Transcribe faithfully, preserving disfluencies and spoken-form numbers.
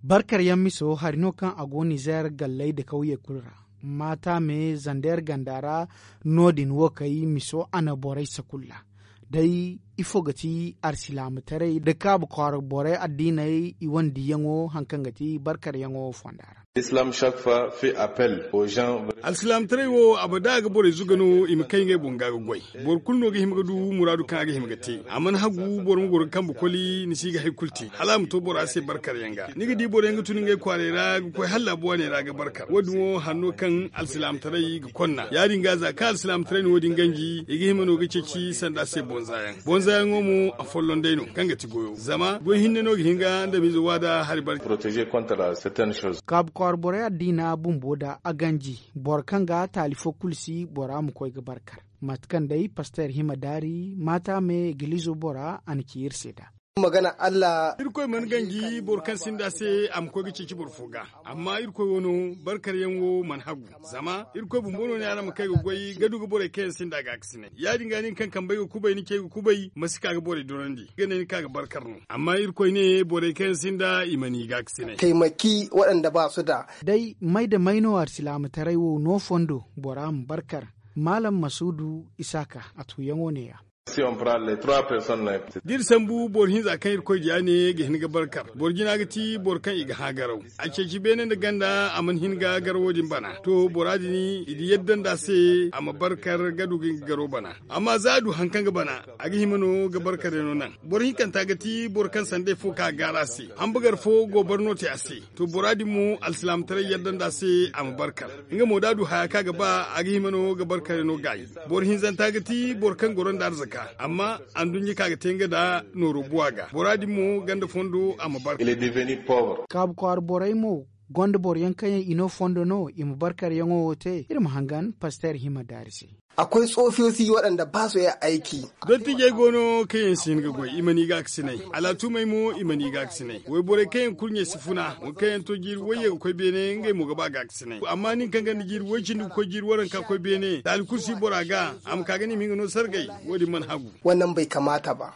Barkar yaŋ miso hari no kaŋ a go nizeer galley nda kawye kulu ra. Maata me zandeer ganda ra. No- din wo kay miso a na borey sakulla. Day ifo ga ti arsilaamataray nda kaabu kwaara borey addiiney i wane diyaŋo hari kaŋ ga ti barkar yaŋo fonda ra. Alsilaamataray wo abada ga borey zuga no i ma kay ngey boŋ ga ga goy. Boro kulu no ga hima ga du muraadu kaŋ a ga hima ga te. A mana hagu boro ma goro ga kambe koli ni si ga hari kulu te hala a ma to bora se barkar yaŋ ga ni ga di boro yaŋ ga tun ngey kwaaray ra ga koy hala laabu waaney ra ga barkar wo- din wo hanno kaŋ alsilaamataray ga konna ya- din ga za kaŋ alsilaamataray na wo- din ganji i ga hima no ga ceeci sanda se bonza yaŋ bonza yaŋo mo a folloŋ day no kaŋ ga ti goyo zama goy hinne no ga hin ga ndamiize waada hari barkar. Kaabu kwaara borey addiina bumbo nda a ganji boro kaŋ ga taali fo kulu si bora ma koy ga barkar. Mate kaŋ day pasteer hima daari maata me egiliizo bora a na ci iri se nd'a. Irkoy mana ganji boro kaŋ sinda se a ma koy ga ceeci boro fo ga. Amma irkoy wo no barkar yaŋ wo mana hagu. Zama irkoy bumbo no ne araŋ ma kay ga goy ga du ga borey kaŋ yaŋ sinda gaakasinay ya- din ga nin kaŋ kambey ga kubay ni cey ga kubay ma si ka ga borey dorandi ga ne ni ka ga barkar no. Amma irkoy ne borey kaŋ yaŋ sinda i mana i gaakasinay. Taimaki waɗanda ba su da. Day may nda may no arsilaamataray wo no fondo bora ma barkar. Maalam masuudu isaaka a tuuyaŋo ne- ya. Da iri sambu boro hinza kaŋ irkoy diya ne ga hin ga barkar boro jina ga ti boro kaŋ i ga hã garaw. A ceeci beene nda ganda a mana hin ga garawo din bana to bora din i di yadda nd'a se a ma barkar ga du ga nga garaw bana. Amma za a du hari kaŋ ga bana a ga hima no ga barkar yaŋo naŋ. Boro hinkanta ga ti boro kaŋ sanday fo ka gaara a se. Hambagar fo go barno te a se. To bora din mo alsilaamataray yadda nd'a se a ma barkar. Nga mo da a du haya kaŋ a ga ba a ga hima no ga barkar yaŋo gaayi. Boro hinzanta ga ti boro kaŋ goro nda arzaka amma anduɲɲa kaŋ a ga te nga nda nooro buwa ga bora din mo ganda fondo a ma barkar. Kaabu kwaara borey mo gonda boro yaŋ kaŋ yaŋ i no fondo no i ma barkar yaŋo wo te iri ma hangan pasteer hima daari se. Akwai tsofiyosi waɗanda ba su iya aiki. Dottijey go no kaŋ yaŋ si hin ga goy i mana i gaakasinay. Alaatumey mo i mana i gaakasinay wayborey kaŋ yaŋ kurɲey si funa. Wo kaŋ yaŋ to jiiri wayye ga koy beene ngey mo ga ba gaakasinay amma nin kaŋ ganda jiiri way cindi ga koy jiiri waranka koy beene taali kulu si bora ga a ma ka ga ne i ma hin ga no sargay. Wo- din mana hagu. Wannan bai kamata ba.